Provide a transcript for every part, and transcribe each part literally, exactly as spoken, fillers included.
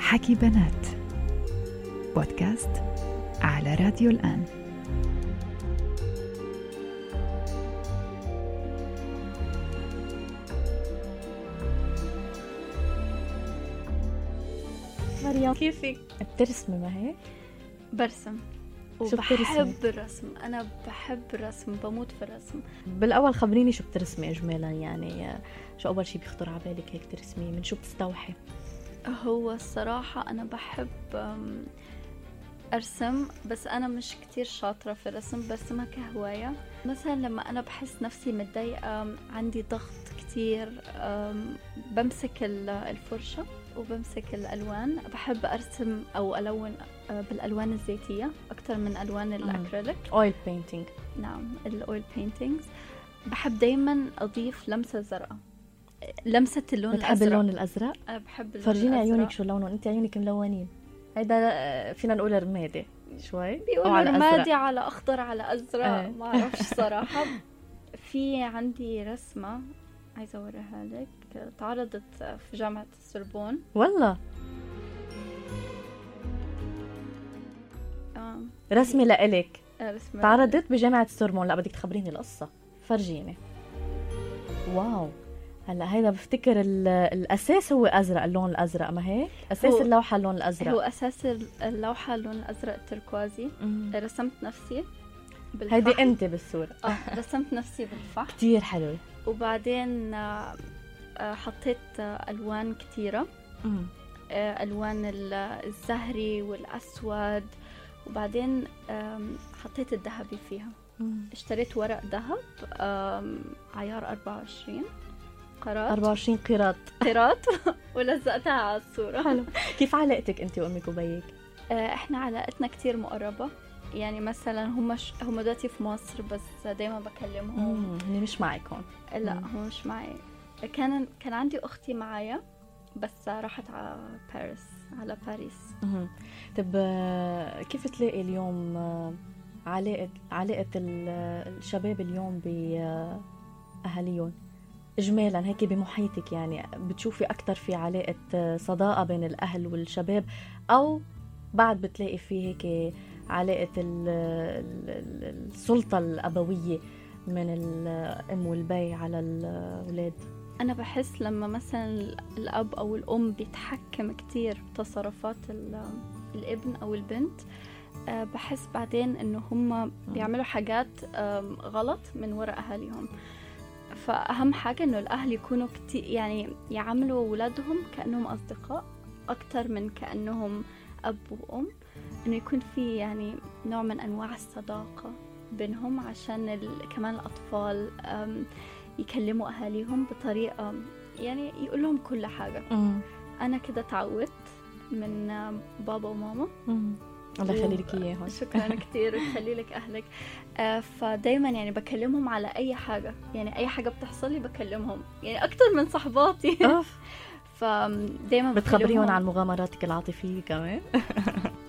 حكي بنات بودكاست على راديو الآن. مريم كيفك؟ بترسمي ما هيك؟ برسم وبحب الرسم. أنا بحب الرسم، بموت في الرسم. بالأول خبريني شو بترسمي إجمالا، يعني شو أول شي بيخطر على بالك هيك ترسمي؟ من شو بتستوحي؟ هو الصراحة أنا بحب أرسم، بس أنا مش كتير شاطرة في الرسم، برسمها كهواية. مثلا لما أنا بحس نفسي متضايقة، عندي ضغط كتير، بمسك الفرشة وبمسك الألوان. بحب أرسم أو ألون بالألوان الزيتية أكتر من ألوان الأكريليك. أويل بينتينج. نعم، الأويل بينتينجز. بحب دايما أضيف لمسة زرقاء، لمسة اللون بتحب الأزرق. اللون الأزرق؟ أنا بحب اللون فرجيني الأزرق. عيونك شو لونه، أنت عيونك ملونين. هيدا فينا نقول رمادي شوي، بيقولوا رمادي على أخضر على أزرق. آه. ما أعرفش صراحة. في عندي رسمة عايزة أوريها لك، تعرضت في جامعة السوربون. والله آه. رسمي لإلك رسمة تعرضت بجامعة السوربون. لا بدك تخبريني القصة، فرجيني. واو، هلا هيدا بفتكر الأساس هو أزرق، اللون الأزرق ما هيك؟ أساس اللوحة اللون الأزرق. هو أساس اللوحة اللون الأزرق التركوازي. مم. رسمت نفسي بالفحم. هيدي أنت بالصورة. آه رسمت نفسي بالفحم. كتير حلو. وبعدين حطيت ألوان كتيرة. مم. ألوان الزهري والأسود، وبعدين حطيت الذهبي فيها. مم. اشتريت ورق ذهب عيار أربعة وعشرين قراط. أربعة وعشرين قراط قراط ولزقتها على الصورة. حلو. كيف علاقتك أنت وأمك وبيك؟ احنا علاقتنا كتير مقربة، يعني مثلا هم ش... هم دلوقتي في مصر، بس دايما بكلمهم. هني مش معك هون؟ لا هم مش معي. كان كان عندي أختي معايا بس راحت على باريس على باريس. طب كيف تلاقي اليوم علاقة علاقة الشباب اليوم بأهاليهم إجمالا هيك بمحيطك؟ يعني بتشوفي أكتر في علاقة صداقة بين الأهل والشباب، أو بعد بتلاقي فيه هيك علاقة السلطة الأبوية من الأم والبي على الأولاد؟ أنا بحس لما مثلا الأب أو الأم بيتحكم كتير بتصرفات الابن أو البنت، بحس بعدين إنه هم بيعملوا حاجات غلط من وراء أهاليهم. فأهم حاجة إنه الأهل يكونوا كتير، يعني يعاملوا أولادهم كأنهم أصدقاء أكتر من كأنهم أب وأم. إنه يكون في يعني نوع من أنواع الصداقة بينهم، عشان ال... كمان الأطفال يكلموا أهاليهم بطريقة يعني يقول لهم كل حاجة. مم. أنا كده تعودت من بابا وماما. مم. الله يخلي لك إياهم. شكرا كتير ويخلي لك أهلك. آه فدايما يعني بكلمهم على أي حاجة، يعني أي حاجة بتحصل لي بكلمهم، يعني أكتر من صحباتي. فدايما بتخبريهم عن مغامراتك العاطفية كمان؟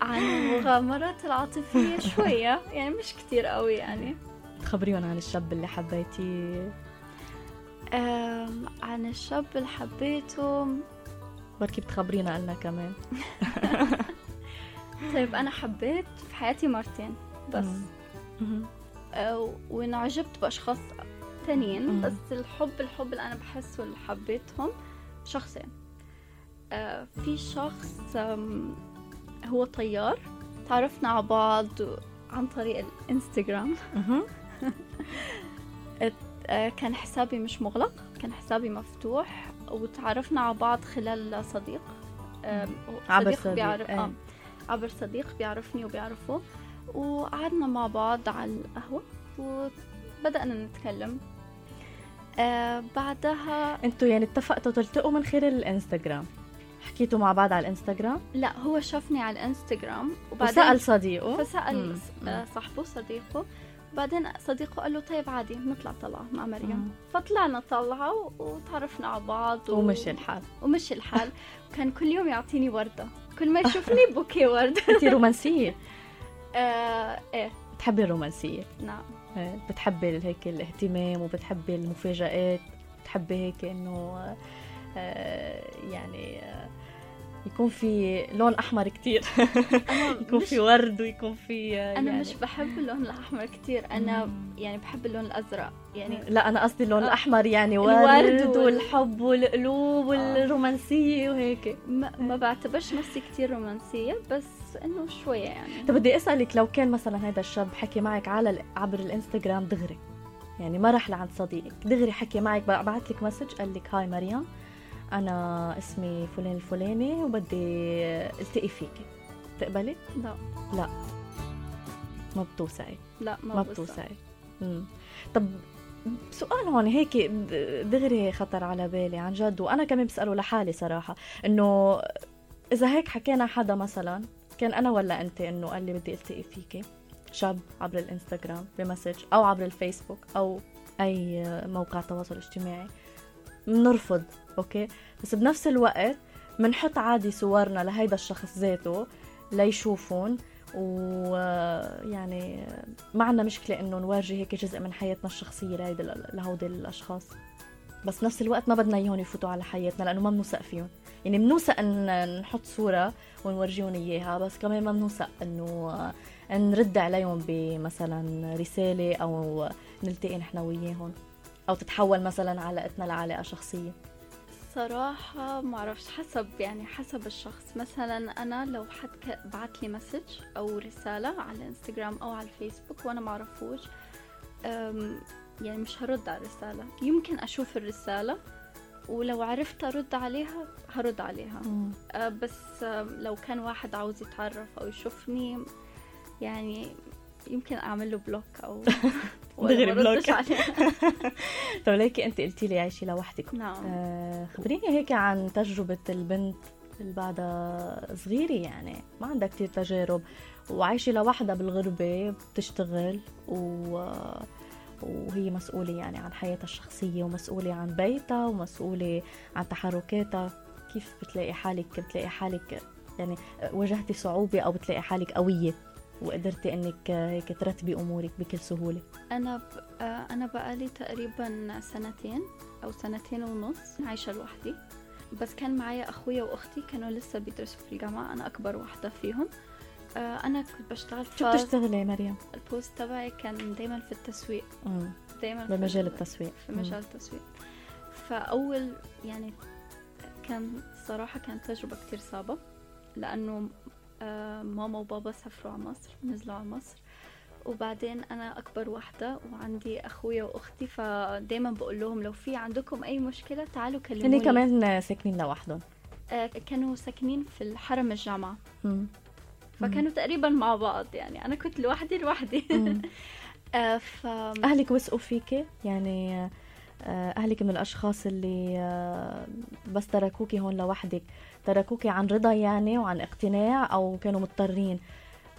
عن المغامرات العاطفية شوية، يعني مش كتير قوي. يعني تخبريهم عن الشاب اللي حبيتيه؟ عن الشاب اللي حبيته بركي بتخبرينا قلنا كمان. طيب أنا حبيت في حياتي مرتين بس. آه ونعجبت بأشخاص تانيين. مم. بس الحب الحب اللي أنا بحسه اللي حبيتهم شخصين. آه في شخص هو طيار، تعرفنا على بعض عن طريق الانستغرام. كان حسابي مش مغلق، كان حسابي مفتوح، وتعرفنا على بعض خلال صديق. عبر صديق بيعرف آه. عبر صديق بيعرفني وبيعرفه، وقعدنا مع بعض على القهوة وبدأنا نتكلم. آه بعدها انتوا يعني اتفقتوا تلتقوا من خلال الانستغرام؟ حكيتوا مع بعض على الانستغرام؟ لا، هو شافني على الانستغرام وبعدين وسأل صديقه، فسأل مم. صاحبه صديقه، وبعدين صديقه قال له طيب عادي نطلع طلعة مع مريم. مم. فطلعنا طلعة وتعرفنا على بعض و... ومشي الحال ومشي الحال. وكان كل يوم يعطيني وردة، كل ما يشوفني بوكي ورد. انتي رومانسية؟ آه ايه، بتحبي الرومانسية؟ نعم. بتحبي هيك الاهتمام وبتحبي المفاجآت، بتحبي هيك انه آه يعني آه يكون في لون احمر كتير يكون في ورد ويكون في انا يعني مش بحب اللون الاحمر كتير، انا يعني بحب اللون الازرق يعني. لا انا قصدي اللون آه. الاحمر يعني الورد ورد وال- والحب والقلوب والرومانسيه وهيك. ما, ما بعتبرش نفسي كتير رومانسية، بس انه شوية يعني. طب بدي اسالك، لو كان مثلا هذا الشاب حكي معك على ال- عبر الانستغرام دغري، يعني ما راح لعند صديقك، دغري حكي معك، بعت لك مسج قال لك هاي مريم انا اسمي فلان الفلاني وبدي التقي فيكي، تقبلي؟ لا لا ما بتوسعي. لا ما, ما بوسع. بتوسعي. امم طب سؤال هون هيك د- دغري خطر على بالي عن جد، وانا كمان بساله لحالي صراحه، انه اذا هيك حكينا حدا مثلا كان انا ولا انت انه قال لي بدي التقي فيكي، شاب عبر الانستغرام بمسج او عبر الفيسبوك او اي موقع تواصل اجتماعي، بنرفض اوكي، بس بنفس الوقت بنحط عادي صورنا لهيدا الشخص ذاته ليشوفون، ويعني ما عندنا مشكلة إنه نورجي هيك جزء من حياتنا الشخصية لهيدا لهودي الأشخاص، بس نفس الوقت ما بدنا إياهم يفوتوا على حياتنا لأنه ما بنوثق فيهم. يعني بنوثق إن نحط صورة ونورجيهم إياها، بس كمان ما بنوثق إنه نرد عليهم بمثلا رسالة أو نلتقي نحن وياهم، أو تتحول مثلا علاقتنا لعلاقة شخصية. صراحة ما أعرفش، حسب يعني حسب الشخص. مثلا أنا لو حد ك- بعت لي مسج أو رسالة على الانستغرام أو على الفيسبوك وأنا ما أعرفوش، أم، يعني مش هرد على الرسالة. يمكن أشوف الرسالة ولو عرفت أرد عليها هرد عليها. أه، بس أم، لو كان واحد عاوز يتعرف أو يشوفني يعني يمكن أعمل له بلوك أو دغري ولا ما ردش بلوك. عليه. طب ليكي أنت قلتي لي عايشي لوحدك، نعم. آه خبريني هيك عن تجربة البنت اللي بعدها صغيرة، يعني ما عندها كتير تجارب وعايشة لوحدها بالغربة، بتشتغل و... وهي مسؤولة يعني عن حياتها الشخصية ومسؤولة عن بيتها ومسؤولة عن تحركاتها. كيف بتلاقي حالك بتلاقي حالك يعني واجهتي صعوبة أو بتلاقي حالك قوية وقدرتي انك هيك ترتبي امورك بكل سهوله؟ انا ب... آه، انا بقالي تقريبا سنتين او سنتين ونص عايشه لوحدي، بس كان معايا اخويا واختي كانوا لسه بيدرسوا في الجامعه، انا اكبر واحده فيهم. آه، انا كنت بشتغل شو بتشتغلي مريم؟ البوست تبعي كان دايما في التسويق، امم دايما بمجال في التسويق. في مجال التسويق. فاول يعني كان صراحه كانت تجربه كتير صعبه، لانه آه، ماما وبابا سافروا على مصر، نزلوا على مصر، وبعدين أنا أكبر واحدة وعندي أخويا وأختي، فدايما بقول لهم لو في عندكم أي مشكلة تعالوا كلموني. هني كمان ساكنين لوحدهم؟ آه، كانوا ساكنين في الحرم الجامعة، مم. فكانوا تقريبا مع بعض، يعني أنا كنت لوحدي لوحدي. مم. آه، ف أهلك وثقوا فيكي؟ يعني آه، أهلك من الأشخاص اللي آه، بس تركوكي هون لوحدك، تركوكي عن رضا يعني وعن اقتناع، أو كانوا مضطرين؟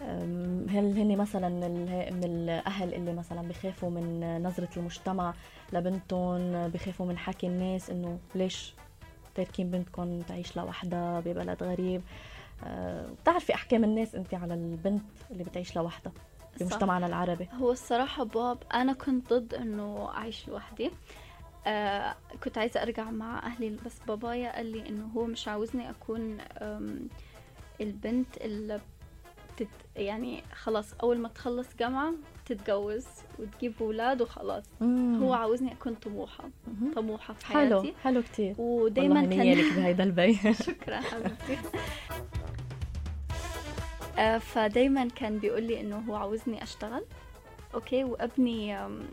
أم، هل هن مثلا من ال- من الأهل اللي مثلا بخافوا من نظرة المجتمع لبنتهم، بخافوا من حكي الناس إنه ليش تاركين بنتكم تعيش لوحدها ببلد غريب؟ أه، بتعرفي أحكام الناس أنت على البنت اللي بتعيش لوحدها بمجتمعنا العربي؟ هو الصراحة باب أنا كنت ضد إنه أعيش لوحدي. آه كنت عايزة أرجع مع أهلي، بس بابايا قال لي إنه هو مش عاوزني أكون أم، البنت اللي بتت يعني خلاص أول ما تخلص جامعة تتجوز وتجيب أولاد وخلاص. مم. هو عاوزني أكون طموحة مهم. طموحة في حلو حياتي. حلو كتير، ودايما والله كان نيالك بهيدا البيت. شكرا حبيبتي. آه، فدايما كان بيقول لي انه هو عاوزني اشتغل اوكي وابني أم،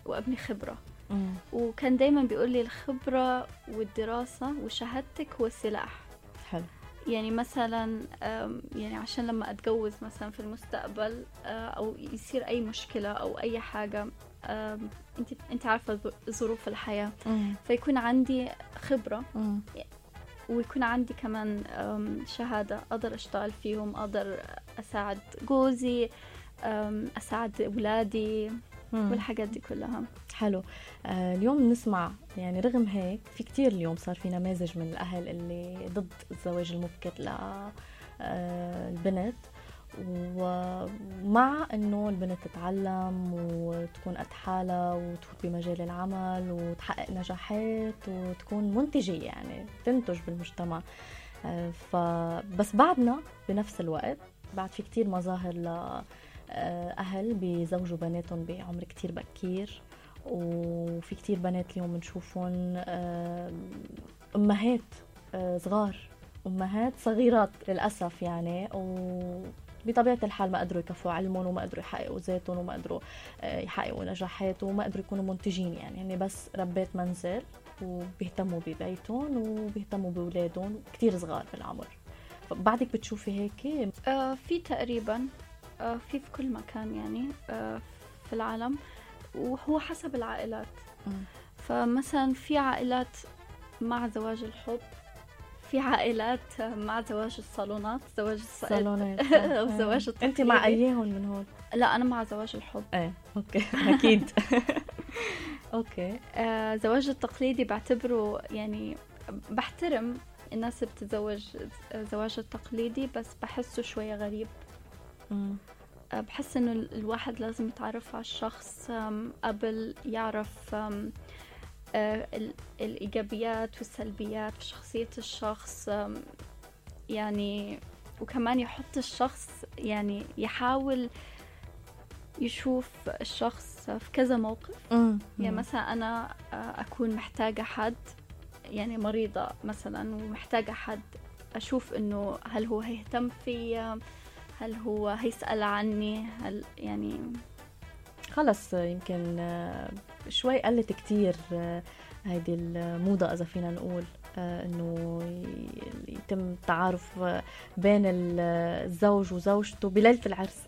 وابني خبرة، مم. وكان دايما بيقول لي الخبرة والدراسة وشهادتك هو السلاح. حلو. يعني مثلا أم، يعني عشان لما اتجوز مثلا في المستقبل آه، او يصير اي مشكلة او اي حاجة، أم، انت انت عارفة ظ- ظروف الحياة، مم. فيكون عندي خبرة مم. ويكون عندي كمان أم، شهادة أقدر أشتغل فيهم، أقدر أساعد جوزي، أم، أساعد أولادي مم. والحاجات دي كلها. حلو. آه اليوم نسمع يعني رغم هيك في كتير اليوم صار في نماذج من الأهل اللي ضد الزواج المبكر للبنت، ومع انه البنت تتعلم وتكون قد حالها وتفوت بمجال العمل وتحقق نجاحات وتكون منتجة يعني تنتج بالمجتمع. فبس بعدنا بنفس الوقت بعد في كتير مظاهر لأهل بيزوجوا بناتهم بعمر كتير بكير، وفي كتير بنات اليوم بنشوفهم أمهات صغار، أمهات صغيرات للأسف يعني، وبطبيعة الحال ما قدروا يكفوا علمهم وما قدروا يحققوا ذاتهم وما قدروا يحققوا نجاحات وما قدروا يكونوا منتجين يعني، يعني بس ربات منزل وبيهتموا ببيتهم وبيهتموا بأولادهم كتير صغار بالعمر. بعدك بتشوفي هيك؟ آه في تقريبا آه في في كل مكان يعني آه في العالم، وهو حسب العائلات. م. فمثلا في عائلات مع زواج الحب، في عائلات مع زواج الصالونات، زواج الصالونات أو زواج التقليدي. أنت مع أيهن من هون؟ لا أنا مع زواج الحب. ايه أوكي أكيد. أوكي. آه زواج التقليدي بعتبره يعني بحترم الناس اللي بتتزوج زواج التقليدي، بس بحسه شوية غريب. م. آه بحس إنه الواحد لازم يتعرف على الشخص قبل يعرف آه الإيجابيات والسلبيات في شخصية الشخص يعني، وكمان يحط الشخص يعني يحاول يشوف الشخص في كذا موقف. مم. يعني مثلا أنا أكون محتاجة حد يعني مريضة مثلا ومحتاجة حد أشوف إنه هل هو هيهتم فيا، هل هو هيسأل عني، هل يعني خلص يمكن شوي قلت كتير هيدي الموضة إذا فينا نقول إنه يتم التعارف بين الزوج وزوجته بليلة العرس.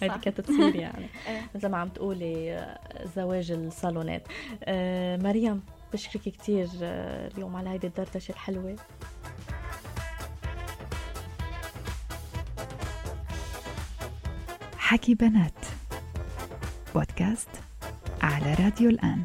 هيدي كانت تصير يعني مثل ما عم تقولي زواج الصالونات. مريم بشكرك كتير اليوم على هيدي الدردشة الحلوة. حكي بنات بودكاست على راديو الآن.